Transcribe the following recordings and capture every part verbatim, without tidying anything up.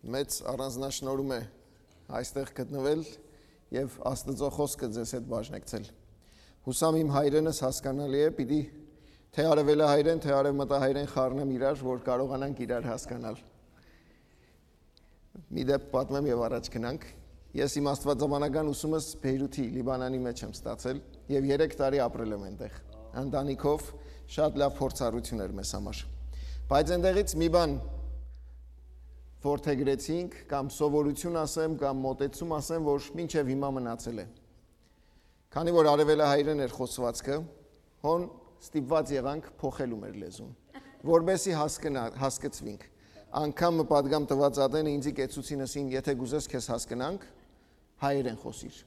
Մեծ առանձնաշնորհում է այստեղ գտնվել եւ Աստուծոյ խօսքը ձեզ հետ բաժնեկցել։ Յուսամ իմ հայրենս հասկանալի է, պիտի, թե արեւելահայրեն, թե արեւմտահայրեն խառնեմ իրար, որ կարողանանք իրար հասկանալ։ Մի դեպք պատմեմ եւ առաջ գնանք։ Ես իմ աստվածաբանական ուսումս Բեյրութի, Լիբանանի մեջ եմ ստացել եւ երեք տարի ապրել եմ այնտեղ։ Ընտանիքով շատ լաւ փորձառություն էր մեզ համար։ Բայց այնտեղից մի բան որդեգրեցինք, կամ սովորություն ասեմ, կամ մոտեցում ասեմ, որ մինչեւ հիմա մնացել է։ Քանի որ արեւելահայրեն էր խօսուածքը, հոն ստիպուած եղանք փոխելու մեր լեզուն, որպեսզի հասկնա-, հասկցուինք։ Անգամ մը պատգամ տուած ատենը ինձի կեցուցին, ըսին, «Եթե կ'ուզես քեզ հասկնանք, հայերեն խօսիր»։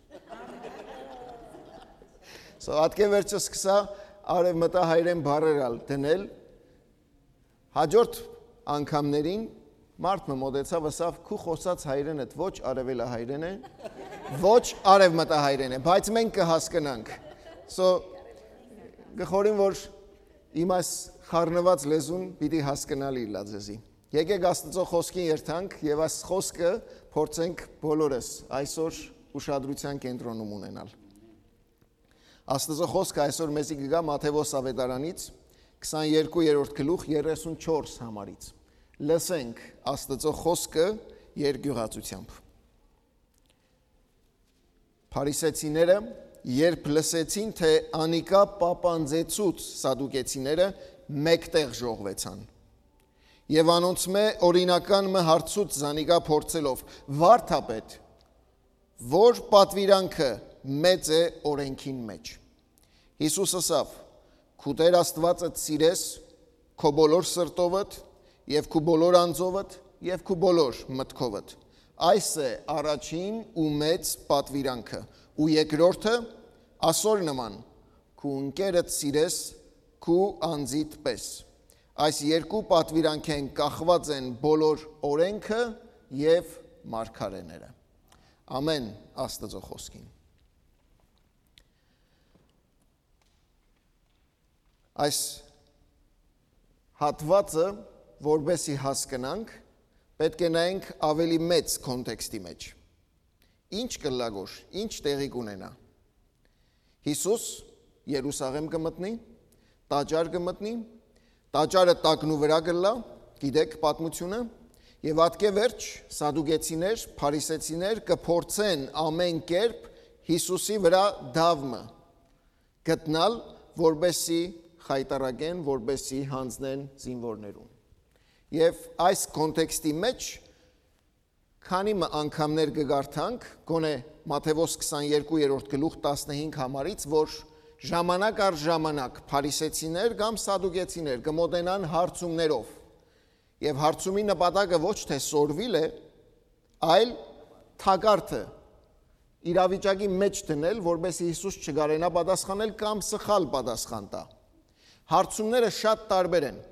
So, ատկէ վերջը սկսա արեւմտահայերեն բառեր ալ դնել։ Հաջորդ անգամներին մարդ մը մոտեցաւ, ըսաւ, «Քու խօսած հայերէնդ ոչ արեւելահայերեն է, ոչ արեւմտահայերեն է, բայց մենք կը հասկնանք»։ So, կը խորհեմ, որ իմ այս խառնուած լեզուն պիտի հասկնալի ըլլայ ձեզի։ Եկեք Աստուծոյ խօսքին երթանք եւ այս խօսքը փորձենք բոլորս այսօր ուշադրութեան կենտրոնում ունենալ։ Աստուծոյ խօսքը այսօր մեզի կը գայ Մատթեոս աւետարանից, քսաներկուերորդ գլուխ, երեսունչորս համարից։ Լսենք Աստուծոյ խօսքը երկիւղածութեամբ։ Փարիսեցիները, երբ լսեցին, թէ անիկա պապանձեցուց Սադուկեցիները, մէկտեղ ժողվեցան։ Եւ անոնցմէ օրինական մը հարցուց զանիկա փորձելով. «Վարդապետ, որ պատուիրանքը մեծ է օրէնքին մեջ»։ Յիսուս ըսաւ. «Քու Տէր Աստուածդ սիրես քու բոլոր սրտովդ եւ քու բոլոր անձովդ եւ քու բոլոր մտքովդ։ Այս է առաջին ու մեծ պատուիրանքը, ու երկրորդը՝ ասոր նման. քու ընկերդ սիրես քու անձիդ պէս։ Այս երկու պատուիրանքէն կախուած են բոլոր օրէնքը եւ մարգարէները»։ Ամեն Աստուծոյ խօսքին։ Այս հատուածը, որպեսզի հասկնանք, պէտք է նայենք աւելի մեծ կոնտեքստի մեջ։ Ինչ կ'ըլլայ գոր, ինչ տեղի կ'ունենայ։ Յիսուս Երուսաղէմ կը մտնի, տաճար կը մտնի, տաճարը տակնուվրայ կ'ըլլայ, գիտեք պատմութիւնը, եւ ատկէ վերջ Սադուկեցիներ, Փարիսեցիներ կը փորձեն ամէն կերպ Յիսուսի վրայ դաւ մը գտնալ, որպեսզի խայտառակեն, որպեսզի յանձնեն զինուորներուն։ Եւ այս կոնտեքստի մեջ քանի մը անգամներ կը կարդանք, գոնե Մատթեոս քսաներկուերորդ գլուխ, տասնհինգ համարից, որ ժամանակ առ ժամանակ փարիսեցիներ կամ սադուկեցիներ կը մօտենան հարցումներով։ Եւ հարցումի նպատակը ոչ թէ սորվիլ է, այլ թակարդը իրավիճակի մեջ դնել, որպեսզի Յիսուս չկարենայ պատասխանել կամ սխալ պատասխան տայ։ Հարցումները շատ տարբեր են։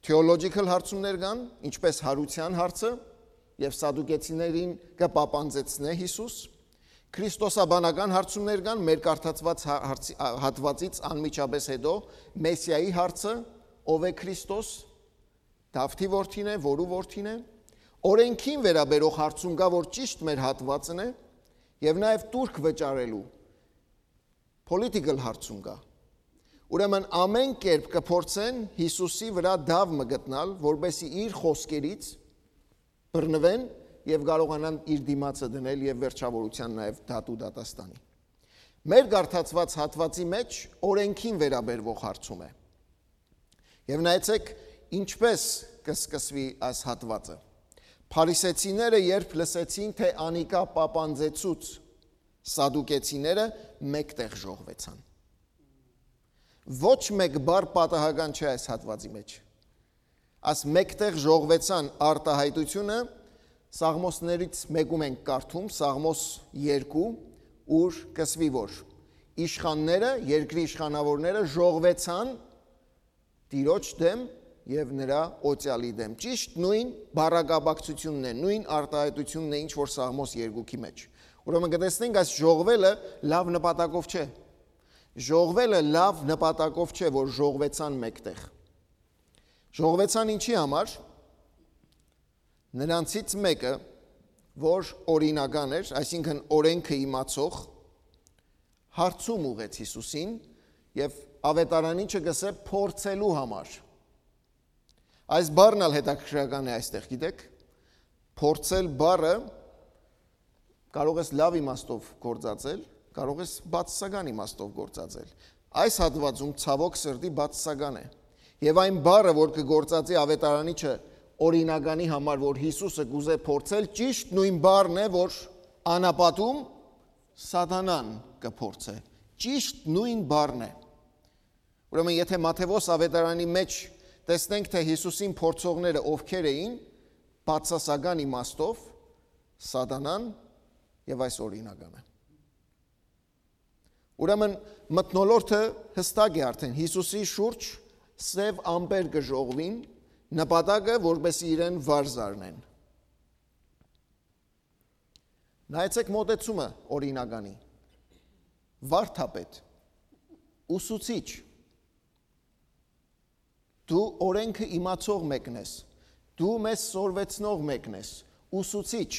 Theological հարցումներ կան, ինչպես յարութեան հարցը, եւ սադուկեցիներին կը պապանձեցնէ Յիսուս։ Քրիստոսաբանական հարցումներ կան, մեր կարդացուած հա-, հարցի-, ա-, հատուածից անմիջապէս հետո Մեսիայի հարցը, ով է Քրիստոս, Դավթի որդին է, որու որդին է։ Օրէնքին վերաբերող հարցում կայ, որ ճիշդ մեր հատուածն է, եւ նաեւ տուրք վճարելու political հարցում կայ։ Ուրեմն ամէն կերպ կը փորձեն Յիսուսի վրայ դաւ մը գտնալ, որպեսզի իր խօսքերից բռնուեն եւ կարողանան իր դիմացը դնել եւ վերջավորութեան նաեւ դատու դատաստանի։ Մեր կարդացուած հատուածի մեջ օրէնքին վերաբերող հարցում է։ Եւ նայեցեք, ինչպես կը սկսուի այս հատուածը։ Փարիսեցիները, երբ լսեցին, թէ անիկա պապանձեցուց սադուկեցիները, մէկտեղ ժողվեցան։ Ոչ մէկ բառ պատահական չէ այս հատուածի մեջ։ Այս մէկտեղ ժողվեցան արտահայտությունը Սաղմոսներից մեկում ենք կարդում, Սաղմոս երկու, ուր կսուի, որ իշխանները, երկրի իշխանավորները ժողվեցան Տիրոջ դեմ եւ նրա օծյալի դեմ։ Ճիշտ նոյն բառակապակցութիւնն է, նոյն արտահայտութիւնն է, ինչ որ Սաղմոս երկուքի մեջ։ Ուրեմն կտեսնենք, այս ժողվելը լաւ նպատակով չէ։ Ժողվելը լաւ նպատակով չէ, որ ժողվեցան մէկտեղ։ Ժողվեցան ինչի համար։ Նրանցից մէկը, որ օրինական էր, այսինքն՝ օրէնքը իմացող, հարցում ուղղեց Յիսուսին, եւ Աւետարանիչը կ'ըսէ՝ փորձելու համար։ Այս բառն ալ հետաքրքրական է այստեղ, գիտեք, փորձել բառը կարող ես լաւ իմաստով գործածել, կարող ես բացասական իմաստով գործածել։ Այս հատուածում, ցաւոք սրտի, բացասական է։ Եւ այն բառը, որ կը գործածի Աւետարանիչը օրինականի համար, որ Յիսուսը կ'ուզէ փորձել, ճիշդ նոյն բառն է, որ անապատում Սատանան կը փորձէ։ Ճիշդ նոյն բառն է։ Ուրեմն, եթե Մատթեոս Աւետարանի մէջ տեսնենք, թե Յիսուսին փորձողները ովքեր էին, բացասական իմաստով Սատանան եւ այս օրինականը։ Ուրեմն, մթնոլորտը յստակ է արդեն։ Յիսուսի շուրջ սեւ ամպեր կը ժողվին, նպատակը՝ որպեսզի իրեն վար զարնեն։ Նայեցեք մոտեցումը օրինականի։ Վարդապետ, ուսուցիչ, դու օրէնքը իմացող մեկն ես, դու մեզ սորվեցնող մեկն ես, ուսուցիչ։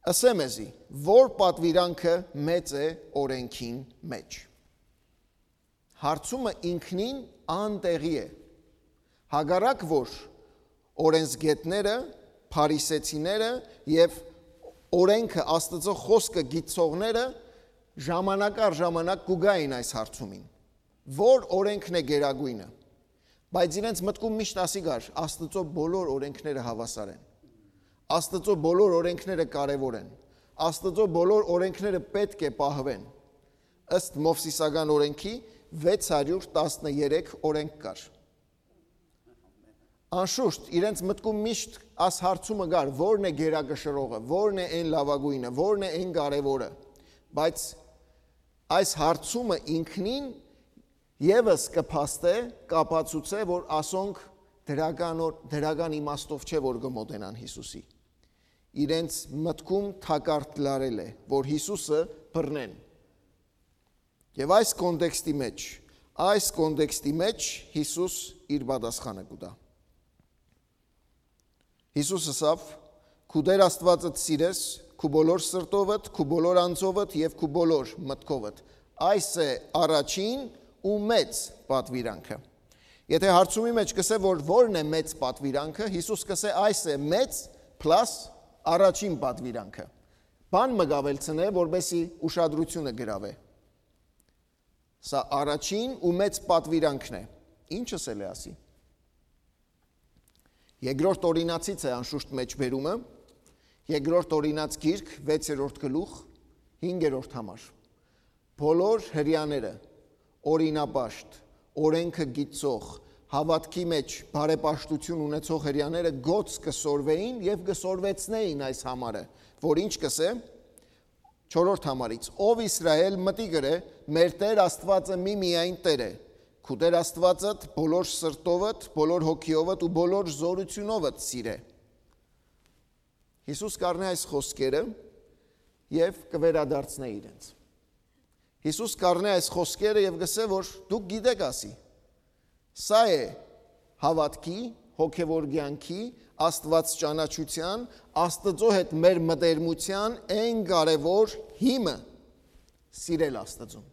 Ըսէ մեզի, ո՞ր պատուիրանքը մեծ է օրէնքին մէջ։ Հարցումը ինքնին անտեղի է։ Հակառակ որ օրենսգետները, փարիսեցիները եւ օրենքը, Աստծո խօսքը գիտցողները ժամանակ առ ժամանակ կու գային այս հարցումին, որ օրենքն է գերագույնը։ Բայց իրենց մտքում միշտ ասի կար՝ Աստծո բոլոր օրենքները հաւասար են։ Աստծո բոլոր օրենքները կարեւոր են։ Աստծո բոլոր օրենքները պէտք է պահուեն։ Ըստ Մովսիսական օրենքի վեց հարիւր տասներեք օրենք կար։ Անշուշտ, իրենց մտքում միշտ այս հարցումը կար՝ ո՞րն է գերակշռողը, ո՞րն է այն լաւագույնը, ո՞րն է այն կարեւորը։ Բայց այս հարցումը ինքնին եւս կը փաստէ, կ'ապացուցէ, որ ասոնք դրական օր-, դրական իմաստով չէ, որ կը մոտենան Յիսուսի։ Իրենց մտքում թակարդ լարել է, որ Յիսուսը բռնեն։ Եւ այս կոնտեքստի մէջ, այս կոնտեքստի մէջ Յիսուս իր պատասխանը կու տայ։ Յիսուս ըսաւ. «Քու Տեր Աստուածդ սիրես քու բոլոր սրտովդ, քու բոլոր անձովդ եւ քու բոլոր մտքովդ։ Այս է առաջին ու մեծ պատուիրանքը»։ Եթե հարցումի մէջ կ'ըսէ, որ ո՞րն է մեծ պատուիրանքը, Յիսուս կ'ըսէ. «Այս է մեծ պլաս առաջին պատուիրանքը»։ Բան մը կ'աւելցնէ, որպեսզի ուշադրությունը գրաւէ։ Սա առաջին ու մեծ պատուիրանքն է։ Ի՞նչ ըսել է ասի։ Երկրորդ Օրինացից է անշուշտ մէջբերումը, երկրորդ Օրինաց գիրք, վեցերորդ գլուխ, հինգերորդ համար։ Բոլոր հրեաները, օրինապաշտ, օրենքը գիտցող, հաւատքի մէջ բարեպաշտութիւն ունեցող հրեաները գոց կը սորվէին եւ կը սորվեցնէին այս համարը, որ ինչ կ'ըսէ, չորրորդ համարից. «Ով Իսրայէլ մտիկ ըրէ, մեր Տեր Աստուածը մի միայն Տեր է։ Քու Տեր Աստուածդ բոլոր սրտովդ, բոլոր հոգիովդ ու բոլոր զօրութիւնովդ սիրէ»։ Յիսուս կ'առնէ այս խօսքերը եւ կը վերադարձնէ իրենց։ Յիսուս կ'առնէ այս խօսքերը եւ կ'ըսէ, որ դուք գիտէք, ասի, սա է հաւատքի, հոգեւոր կեանքի, Աստուած ճանաչութեան, Աստծո հետ մեր մտերմութեան այն կարեւոր հիմը՝ սիրել Աստծուն։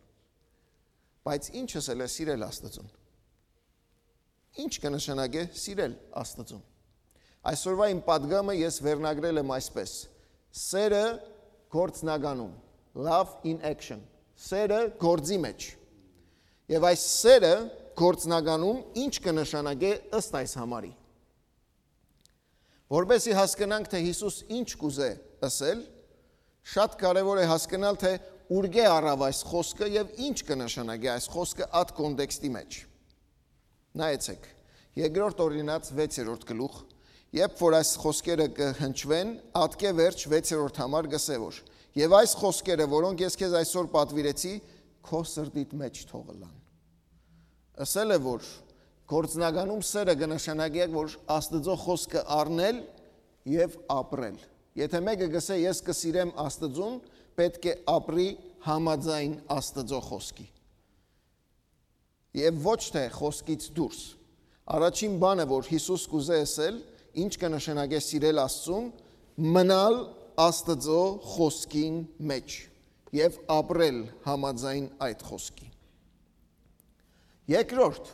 Բայց ի՞նչ ըսել է սիրել Աստծուն։ Ի՞նչ կը նշանակէ սիրել Աստծուն։ Այսօրվա իմ պատգամը ես վերնագրել եմ այսպես. «Սերը գործնականում», love in action, սերը գործի մեջ։ Եւ այս սերը գործնականում ի՞նչ կը նշանակէ ըստ այս համարի։ Որպեսզի հասկնանք, թե Յիսուս ինչ կ'ուզէ ըսել, շատ կարեւոր է հասկնալ, թե ուրկէ առաւ այս խօսքը եւ ինչ կը նշանակէ այս խօսքը այդ կոնտեքստի մեջ։ Նայեցեք, երկրորդ Օրինաց վեցերորդ գլուխ, երբ որ այս խօսքերը կը հնչուեն, ատկէ վերջ վեցերորդ համար կ'ըսէ որ. «Եւ այս խօսքերը, որոնք ես քեզ այսօր պատուիրեցի, քո սրտիդ մեջ թող ըլլան»։ Ըսել է, որ գործնականում սերը կը նշանակէ, որ Աստծո խօսքը առնել եւ ապրել։ Եթե մեկը կ'ըսէ՝ «Ես կը սիրեմ Աստծուն», պէտք է ապրի համաձայն Աստծո խօսքի։ Եւ ոչ թե խօսքից դուրս։ Առաջին բանը, որ Յիսուս կ'ուզէ ըսել, ինչ կը նշանակէ սիրել Աստծուն, մնալ Աստծո խօսքին մէջ եւ ապրել համաձայն այդ խօսքի։ Երկրորդ,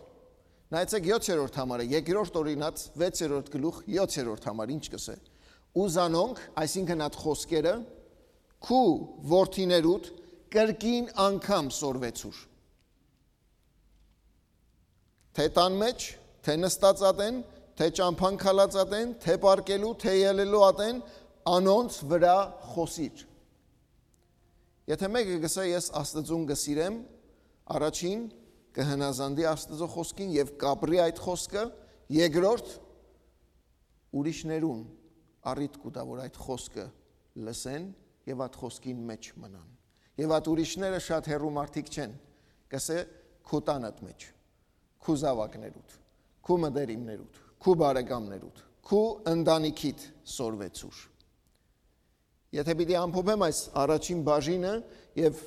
նայեցեք յոթերորդ համարը, երկրորդ օրինաց վեցերորդ գլուխ յոթերորդ համար ինչ կ'ըսէ. «Ու զանոնք», այսինքն այդ խօսքերը, «քու որդիներուդ կրկին անգամ սորվեցուր»։ Թէ տան մէջ, թէ նստած ատեն, թէ ճամբան քալած ատեն, թէ պառկելու, թէ ելելու ատեն, անոնց վրայ խօսիր։ Եթէ մէկը կ'ըսէ, «Ես Աստուծուն կը սիրեմ», առաջին, կը հնազանդի Աստուծոյ խօսքին եւ կ'ապրի այդ խօսքը, երկրորդ, ուրիշներուն առիթ կու տայ, որ այդ խօսքը լսեն եւ այդ խօսքին մէջ մնան։ Եւ այդ ուրիշները շատ հեռու մարդիկ չեն, կ'ըսէ, քու տանդ մէջ, քու զաւակներուդ, քու մտերիմներուդ, քու բարեկամներուդ, քու ընտանիքիդ սորվեցուր։ Եթէ պիտի ամփոփեմ այս առաջին բաժինը եւ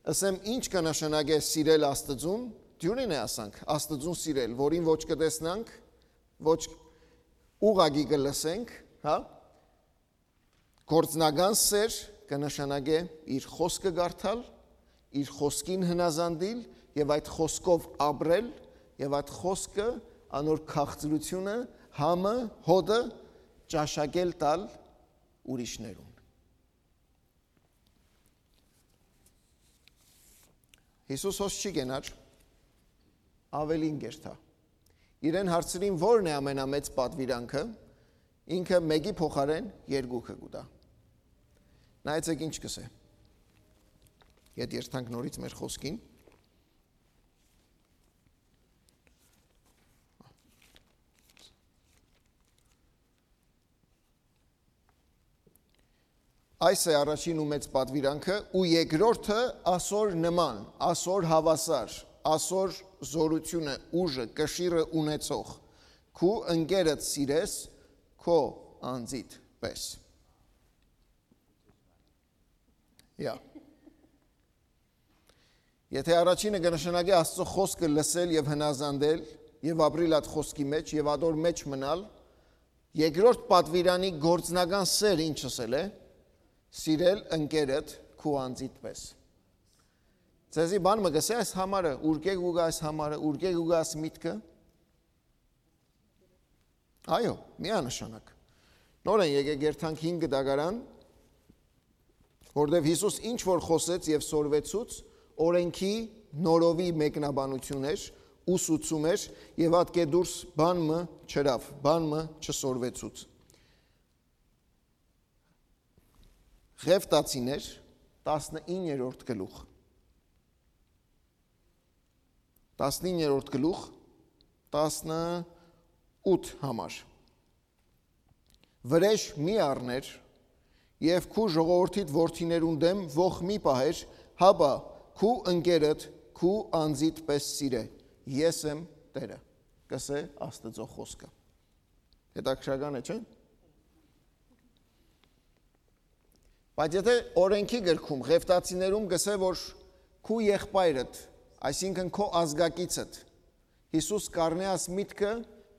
ըսեմ, ինչ կը նշանակէ սիրել Աստուծուն, դիւրին է ասանք, Աստուծուն սիրել, որին ոչ կը տեսնանք, ոչ ուղղակի կը լսենք, հա? Գործնական սեր կը նշանակէ իր խօսքը կարդալ, իր խօսքին հնազանդիլ եւ այդ խօսքով ապրել եւ այդ խօսքը, անոր քաղցրութիւնը, համը, հոտը ճաշակել տալ ուրիշներուն։ Յիսուս հոս չի կենար, աւելին կերթայ։ Իրեն հարցրին, որն է ամենամեծ պատուիրանքը, ինքը մէկի փոխարէն երկուքը կու տայ։ Նայեցեք ինչ կ'ըսէ։ Ետ երթանք նորից մեր խօսքին։ Այս է առաջին ու մեծ պատուիրանքը, ու երկրորդը ասոր նման, ասոր հաւասար, ասոր զօրութիւնը, ուժը, կշիռը ունեցող, քու ընկերդ սիրես քո անձիդ պէս։ Yeah. Եթէ առաջինը կը նշանակէ Աստծո խօսքը լսել եւ հնազանդել եւ ապրիլ այդ խօսքի մէջ եւ ադոր մէջ մնալ, երկրորդ պատուիրանի գործնական սեր ինչ ըսել է, սիրել ընկերդ քու անձիդ պէս։ Ձեզի բան մը կ'ըսէ այս համարը, ուրկէ կու գայ այս համարը, ուրկէ կու գայ այս միտքը։ Այո, միանշանակ։ Նորեն եկեք երթանք հինգ դագարան, որտեղ Յիսուս ինչ որ խօսեց եւ սորվեցուց, օրենքի նորովի մեկնաբանություն էր, ուսուցում էր եւ ատկէ դուրս բան մը չըրաւ, բան մը չսորվեցուց։ Ղեւտացիներ, տասնիններորդ գլուխ։ Տասնիններորդ գլուխ, տասնութ համար։ Վրէժ մի առներ եւ քու ժողովրդիդ որդիներուն դէմ ոխ մի պահեր, հապա քու ընկերդ քու անձիդ պէս սիրէ։ Ես եմ Տէրը, կ'ըսէ Աստուծոյ խօսքը։ Հետաքրքրական է, չէ՞։ Բայց եթէ օրենքի գրքում, Ղեւտացիներուն կ'ըսէ, որ քու եղբայրդ, այսինքն քո ազգակիցդ, Յիսուս կ'առնէ աս միտքը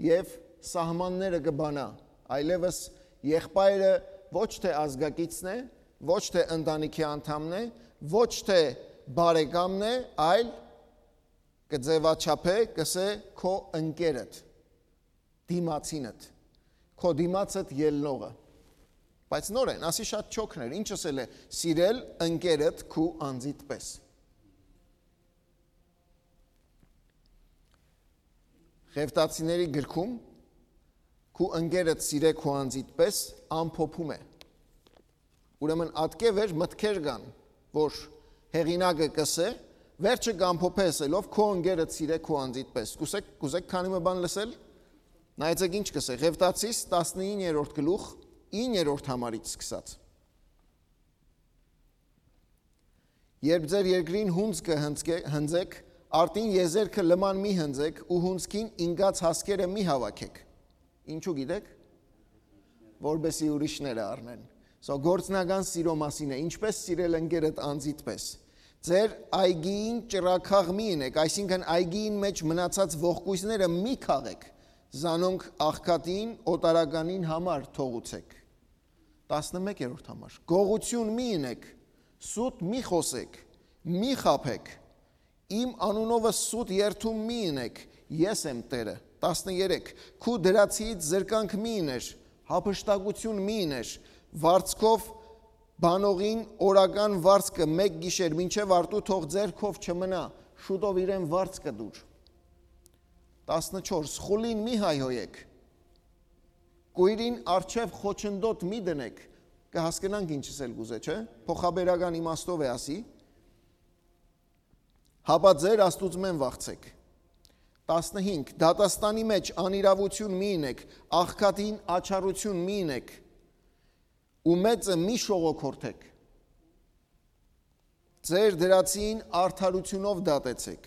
եւ սահմանները կը բանայ, այլեւս եղբայրը ոչ թէ ազգակիցն է, ոչ թէ ընտանիքի անդամն է, ոչ թէ բարեկամն է, այլ կը ձեւաչափէ, կ'ըսէ, քո ընկերդ, դիմացինդ, քո դիմացդ ելնողը։ Բայց նորեն, ասի շատ չոքն էր, ինչ ըսել է, սիրել ընկերդ քու անձիդ պէս։ Ղեւտացիների գրքում քու ընկերդ սիրե քու անձիդ պէս ամփոփում է։ Ուրեմն ատկէ վեր մտքեր կան, որ հեղինակը կ'ըսէ, վերջը կ'ամփոփէ ըսելով, քո ընկերդ սիրե քու անձիդ պէս։ Կ'ուզեք, կ'ուզեք քանի մը բան լսել։ Նայեցեք ինչ կ'ըսէ, Ղեւտացիս տասնիններորդ գլուխ, իններորդ համարից սկսած։ Երբ ձեր երկրին հունձքը հնձկէ-, հնձեք, արտին եզերքը լման մի հնձեք ու հունձքին ինկած հասկերը մի հավաքեք։ Ինչու գիտեք։ Որպեսի ուրիշները առնեն։ So, գործնական սիրո մասին է, ինչպես սիրել ընկերդ անձիդ պէս։ «Ձեր այգիին ճրագաղ մի ընէք», այսինքն՝ այգիին մէջ մնացած ողկոյզները մի քաղէք, զանոնք աղքատին, օտարականին համար թողուցէք։ Տասնմեկերորդ համար. «Գողություն մի ընէք, սուտ մի խօսէք, մի խաբէք, իմ անունովը սուտ երդում մի ընէք, ես եմ Տէրը»։ Տասներեք. «Քու դրացիից զրկանք մի ըներ, յափշտակություն մի ըներ, վարձքով բանողին օրական վարձքը մեկ գիշեր մինչեւ արտու թող ձեռքով չմնայ, շուտով իրեն վարձքը տուր»։ Տասնչորս. «Խուլին մի հայհոյէք, կոյրին առջեւ խոչընդոտ մի դնէք»։ Կը հասկնանք ինչ ըսել կ'ուզէ, չէ՞։ Փոխաբերական իմաստով է ասի. «Հապա ձեր Աստուծմէն վախցէք»։ Տասնհինգ. «Դատաստանի մէջ անիրաւութիւն մի ընէք, աղքատին աչառութիւն մի ընէք ու մեծը մի շողոքորթէք։ Ձեր դրացիին արդարութիւնով դատեցէք»։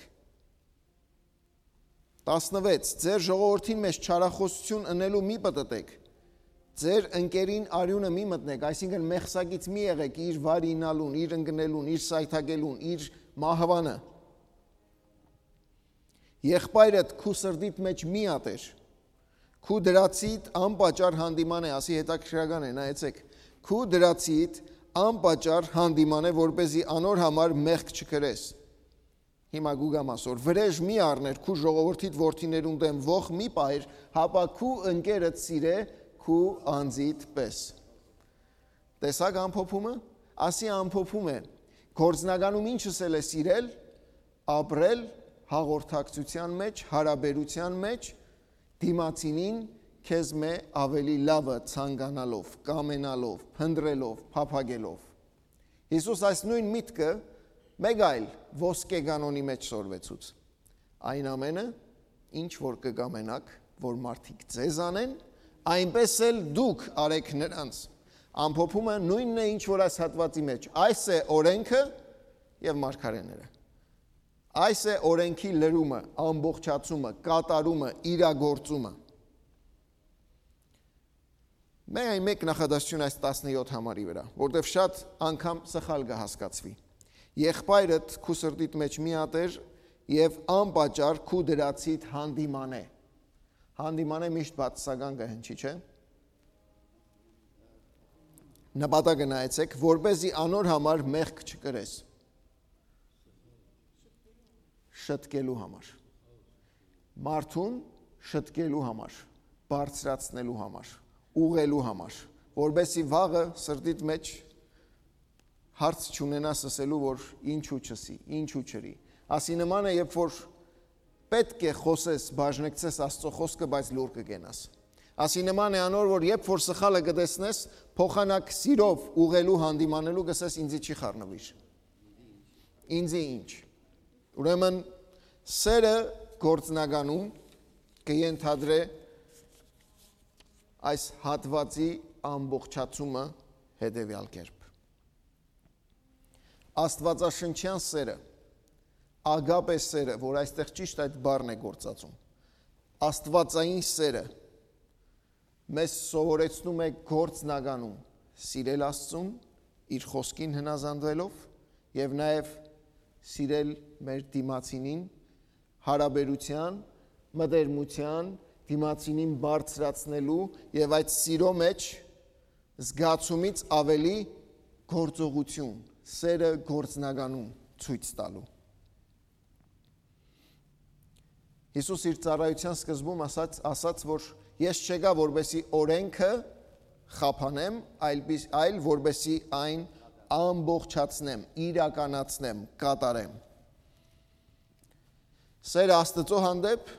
Տասնվեց. «Ձեր ժողովրդին մէջ չարախօսութիւն ընելու մի պտտեք, ձեր ընկերին արիւնը մի մտնեք», այսինքն՝ մեղսակից մի եղեք իր վարինալուն, իր ընկնելուն, իր սայթակելուն, իր մահուանը։ «Եղբայրդ քու սրտիդ մէջ մի ատեր, քու դրացիդ անպատճառ հանդիման է», ասի, հետաքրքրական է, նայեցեք, «քու դրացիդ անպատճառ հանդիման է, որպեսզի անոր համար մեղք չկրես»։ Հիմա գուգամ ասոր. «Վրէժ մի առներ քու ժողովրդիդ որդիներուն դէմ, ոխ մի պահեր, հապա քու ընկերդ սիրէ քու անձիդ պէս»։ Տեսա՞ք ամփոփումը։ Ասի, ամփոփում է. գործնականում ինչ ըսել է սիրել, ապրել հաղորդակցության մէջ, հարաբերության մէջ, դիմացինին քեզմէ ավելի լավը ցանկանալով, կամենալով, փնտռելով, փափագելով։ Յիսուս այս նոյն միտքը մէկ այլ ոսկե կանոնի մէջ սորվեցուց. «Այն ամենը, ինչ որ կը կամենաք, որ մարդիկ ձեզ անեն, այնպէս էլ դուք արեք նրանց»։ Ամփոփումը նոյնն է, ինչ որ այս հատուածի մէջ. «Այս է օրէնքը եւ մարգարէները»։ Այս է օրէնքի լրումը, ամբողջացումը, կատարումը, իրագործումը։ Միայն մէկ նախադասություն այս տասնեօթ համարի վրայ, որտեւ շատ անգամ սխալ կը հասկացուի. «Եղբայրդ քու սրտիդ մէջ մի ատեր եւ անպատճառ քու դրացիդ հանդիման է»։ Հանդիման է միշտ բացասական կը հնչի, չէ՞։ Նպատակը նայեցեք, որպեսզի անոր համար մեղք չկրես։ Շտկելու համար։ Մարդուն շտկելու համար, բարձրացնելու համար, ուղղելու համար, որպեսզի վաղը սրտիդ մէջ հարց չունենաս ըսելու, որ ինչու չըսի, ինչու չըրի։ Ասի նման է, երբ որ պէտք է խօսես, բաժնեկցես Աստծո խօսքը, բայց լուռ կը կենաս։ Ասի նման է անոր, որ երբ որ սխալը կը տեսնես, փոխանակ սիրով ուղղելու, հանդիմանելու, կ'ըսես. «Ինձի չի խառնուիր»։ Ինձի ինչ։ Ուրեմն սերը գործնականում կը ենթադրէ այս հատուածի ամբողջացումը հետեւեալ կերպ։ Աստուածաշնչեան սերը, ագապե սերը, որ այստեղ ճիշտ այդ բառն է գործածում, աստուածային սերը մեզ սովորեցնում է գործնականում սիրել Աստծուն, իր խօսքին հնազանդվելով, եւ նաեւ սիրել մեր դիմացինին, հարաբերության, մտերմության, դիմացինին բարձրացնելու եւ այդ սիրո մեջ զգացումից ավելի գործողություն, սերը գործնականում ցոյց տալու։ Յիսուս իր ծառայութեան սկզբում ասաց, ասաց, որ «Ես չեկայ, որպեսզի օրէնքը խափանեմ, այլ, այլ որպեսզի այն ամբողջացնեմ, իրականացնեմ, կատարեմ»։ Սերը Աստծո հանդեպ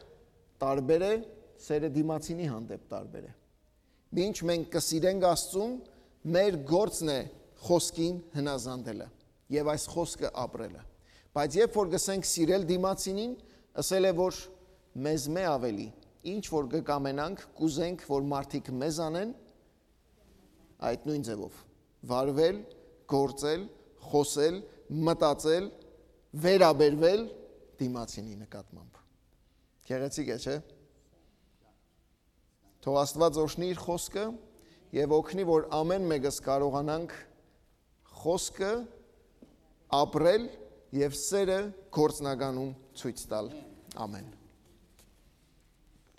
տարբեր է, սերը դիմացինի հանդեպ տարբեր է։ Մինչ մենք կը սիրենք Աստծուն, մեր գործն է խօսքին հնազանդելը եւ այս խօսքը ապրելը։ Բայց երբ որ կ'ըսենք սիրել դիմացինին, ըսել է, որ մեզմէ ավելի, ինչ որ կը կամենանք, կ'ուզենք, որ մարդիկ մեզ անեն, այդ նոյն ձեւով վարվել, գործել, խօսել, մտածել, վերաբերվել դիմացինի նկատմամբ։ Գեղեցիկ է, չէ՞։ Թող Աստուած օրհնի իր խօսքը եւ օգնի, որ ամեն մեկս կարողանանք խօսքը, ապրել եւ սերը գործնականում ցոյց տալ։ Ամեն։